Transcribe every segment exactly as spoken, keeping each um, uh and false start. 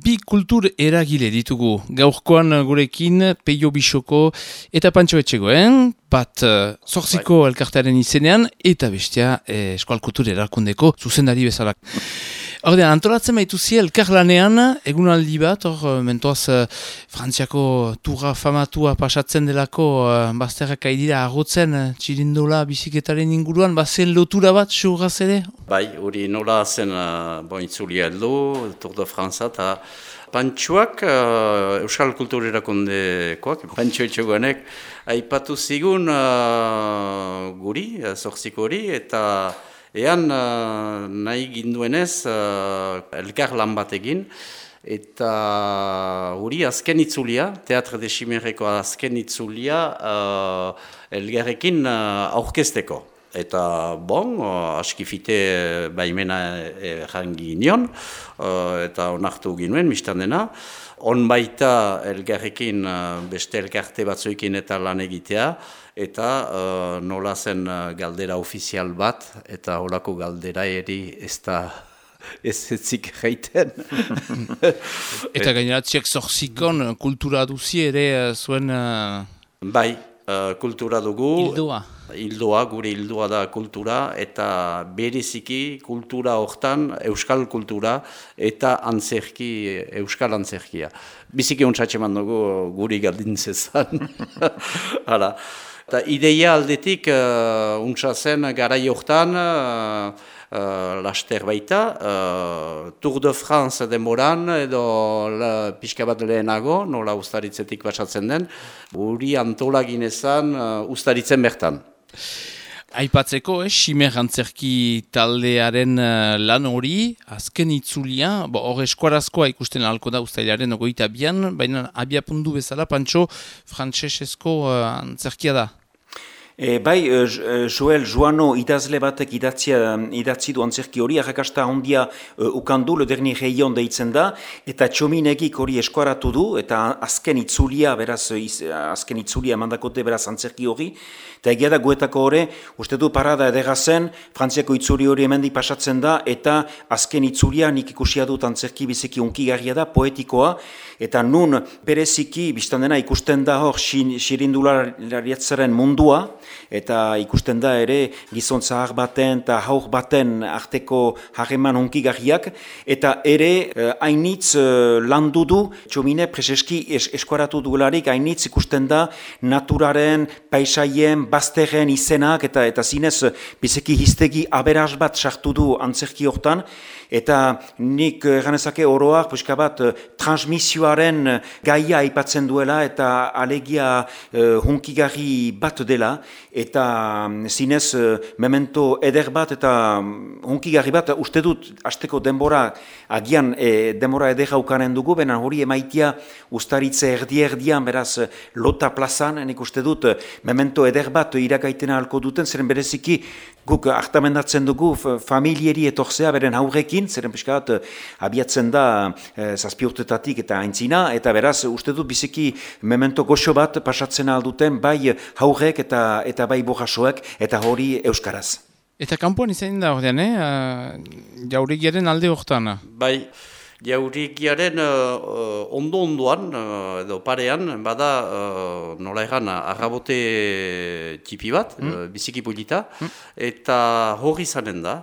Bi kultur eragile ditugu. Gaurkoan gurekin Peio Bisoko eta Pantxo Etxegoen, bat uh, zortziko bai. Elkartearen izenean, eta bestea eh, Eskual Kultur Erakundeko zuzendari bezalak. Ordean, antolatzen baituzi elkarlanean, egunaldi bat, hor, mentoaz, uh, Frantziako turra famatua pasatzen delako, uh, bazterrak aidira agotzen, uh, txirindola biziketaren inguruan, bazen lotura bat, xurraz ere? Bai, hori nola zen uh, bointzulia heldu, Tour de France eta Pantxoak, uh, Euskal Kultur Erakundekoak, Pantxo Etxegoenek, aipatu zigun uh, guri, uh, zortziko hori, eta ean uh, nahi ginduenez uh, elkar lan bat egin, eta hori azken itzulia, Teatre de Chimerreko azken itzulia uh, elgarrekin uh, aurkezteko. Eta bon, uh, askifite baimena errangi nion, uh, eta onartu ginuen, mistan dena. On baita elgarrekin uh, beste elkarte batzuekin eta lan egitea, eta uh, nola zen uh, galdera ofizial bat, eta holako galdera eri ez da ez etzik gaiten. Eta gaineratziak zorzikon kultura duzi ere zuen... Uh... Bai, uh, kultura dugu. Hildoa. Hildoa, gure hildoa da kultura, eta bereziki kultura hortan euskal kultura eta antzerki, euskal antzerkia. Biziki ontsatxeman dugu guri galdintzezan. Hala. Eta ideia aldetik uh, untsa zen garai hortan, uh, uh, laster baita, uh, Tour de France denboran, edo la, pixka bat lehenago, nola ustaritzetik basatzen den, guri antolaginezan uh, ustaritzen bertan. Aipatzeko, eh, Ximer antzerki taldearen uh, lan hori, azken itzulia, hor eskuarazkoa ikusten ahalko da ustailaren ogoita bian, baina abiapundu bezala, Pantxo, frantsesezko uh, antzerkia da. E, bai, uh, Joel Joano idazle batek idatzia, idatzi du antzerki hori, arrakasta handia uh, ukandu, Le Dernier Rayon deitzen da, eta Txominegik hori eskuaratu du, eta azken itzulia, beraz, iz, azken itzulia mandakote beraz antzerki hori, eta egia da guetako hori, uste du parada edera zen, Frantziako itzuri hori hemendi pasatzen da, eta azken itzulia nik ikusia dut antzerki biziki unkigarria da, poetikoa, eta nun bereziki, biztan dena ikusten da hor xirindulariatzaren mundua, eta ikusten da ere gizon zahar baten eta haur baten arteko harreman hunkigarriak, eta ere hainitz eh, landu du, Txomine preseski es, eskuaratu dugularik, hainitz ikusten da naturaren, paisaien, bazterren izenak, eta eta zinez biziki hiztegi aberaz bat sartu du antzerki hortan, eta nik ganezake oroak puska bat transmisioaren gaia aipatzen duela, eta alegia uh, hunkigarri bat dela, eta zinez memento eder bat eta hunkigarri bat, uste dut hasteko denbora agian e, denbora eder haukanen dugu, bena hori emaitia ustaritze erdi-erdian, beraz Lota plazan, nik uste dut memento eder bat irakaitena halko duten, zeren bereziki guk hartamendatzen dugu familieri etorzea beren haurrekin, zeren piskat abiatzen da e, zazpi urtetatik eta aintzina, eta beraz uste dut biziki memento goxo bat pasatzen alduten bai haurrek eta eta bai bojasoek, eta hori euskaraz. Eta kanpoan izan da ordean, eh? Uh, jaurigiaren alde hortan. Bai, jaurigiaren uh, ondo-ondoan, uh, edo parean, bada uh, nola egan arrabote tipi bat, mm. uh, biziki polita, mm. eta hori izanen da.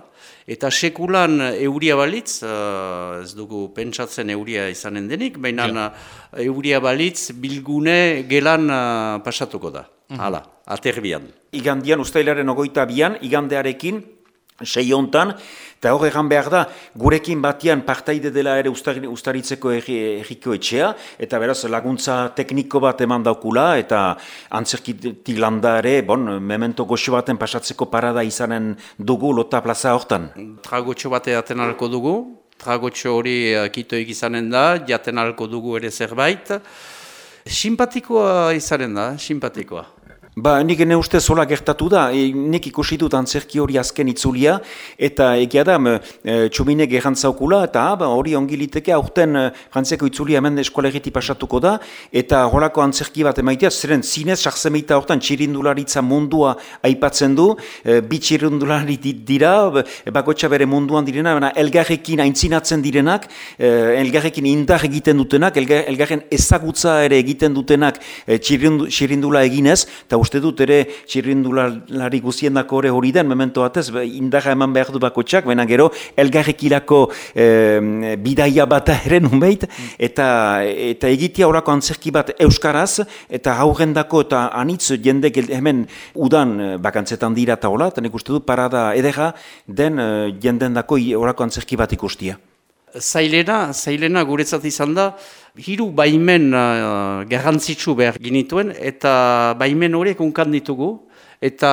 Eta sekulan euria balitz, uh, ez dugu pentsatzen euria izanen denik, baina ja. euria balitz bilgune gelan uh, pasatuko da. Mm-hmm. Hala, aterbian. Igandian, ustailaren ogoita bian, igandearekin, sei hontan, eta hor egan behar da, gurekin batian partaide dela ere ustari, ustaritzeko erriko etxea, eta beraz laguntza tekniko bat eman daukula, eta antzerkitik landa ere, bon, memento goxo baten pasatzeko parada izanen dugu Lota plaza hortan. Tragotxo bate jaten alko dugu, tragotxo hori kitoik izanen da, jaten alko dugu ere zerbait. Simpatikoa izanen da, simpatikoa. Ba, nik ene uste zola gertatu da, e, nik ikusi dut antzerki hori azken itzulia, eta egia da, e, txuminek errantzaukula, eta ba, hori ongi liteke, aurten e, frantziako itzulia hemen eskolegiti pasatuko da, eta horako antzerki bat emaitea, zeren zinez, sarzemeita hortan txirindularitza mundua aipatzen du, e, bi txirindulari dira, bakotxa bere munduan direna, baina elgarrekin aintzinatzen direnak, e, elgarrekin indar egiten dutenak, elgar, elgarren ezagutza ere egiten dutenak e, txirindula eginez, eta uste dut ere txirrindulari guziendako hori hori den, memento batez, indarra eman behar du bakotxak, baina gero elgarrekilako e, bidaia bat ere nunbeit, eta, eta egitea horako antzerki bat euskaraz, eta haurrendako eta anitz jendek hemen udan bakantzetan dira eta hola, eta nik uste dut parada edera den jendendako horako antzerki bat ikustia. Zailena, zailena guretzat izan da, hiru baimen uh, garrantzitsu behar ginituen, eta baimen horiek unkan ditugu, eta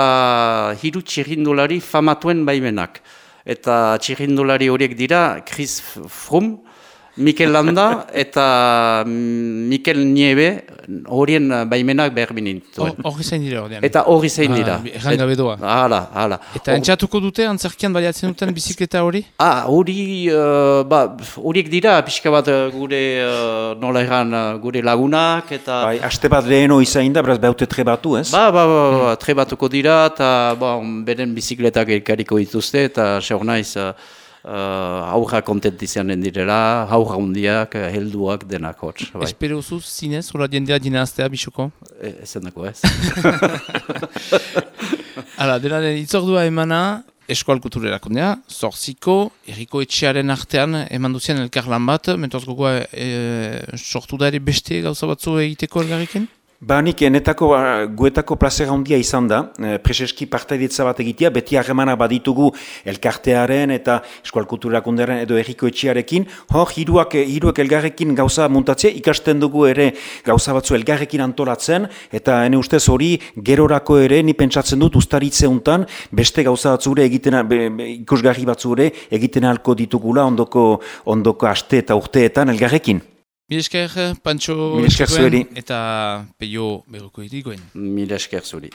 hiru txirrindulari famatuen baimenak. Eta txirrindulari horiek dira Chris Froome, Mikel Landa eta Mikel Nieve horien baimenak behar binituen. Horri zain dira horrean. Eta horri zain dira. Erran gabe doa. Hala, hala. Eta entxatuko dute antzerkian baliatzen duten bizikleta hori? Ah, hori, uh, ba, horiek dira, pixka bat gure, uh, nola erran, gure lagunak, eta... Bai, aste bat leheno izain da, beraz behaute trebatu, ez? Ba, ba, ba, ba trebatuko dira, eta ba, beren bizikletak elkariko dituzte, eta seur naiz, uh, Uh, aurra kontent izanen direla, aurra hundiak, helduak denak hotz. Bai. Espero zuz zinez, hola jendea dinaztea, Bixoko? E, ezen dako ez. Hala, denaren itzordua emana, Eskoal Kultura Erakundea, Zorziko, Eriko Etxearen artean eman duzien elkarlan bat, mentoaz gogoa e, sortu da ere beste gauza batzu egiteko elgarriken? Ba, nik enetako, guetako plazera handia izan da, preseski partaidetza bat egitea, beti harremana baditugu elkartearen eta Eskoal Kultura Erakundearen edo Eriko Etxearekin, hor, hiruak, hiruak elgarrekin gauza muntatzea, ikasten dugu ere gauza batzu elgarrekin antolatzen, eta ene ustez hori gerorako ere, ni pentsatzen dut ustaritze untan, beste gauza batzure egiten, be, be, ikusgarri batzure egiten alko ditugula ondoko, ondoko aste eta urteetan elgarrekin. Mil esker, Pantxo Mil esker zueri. Eta Peio Berroko irikoen. Mil esker zuri.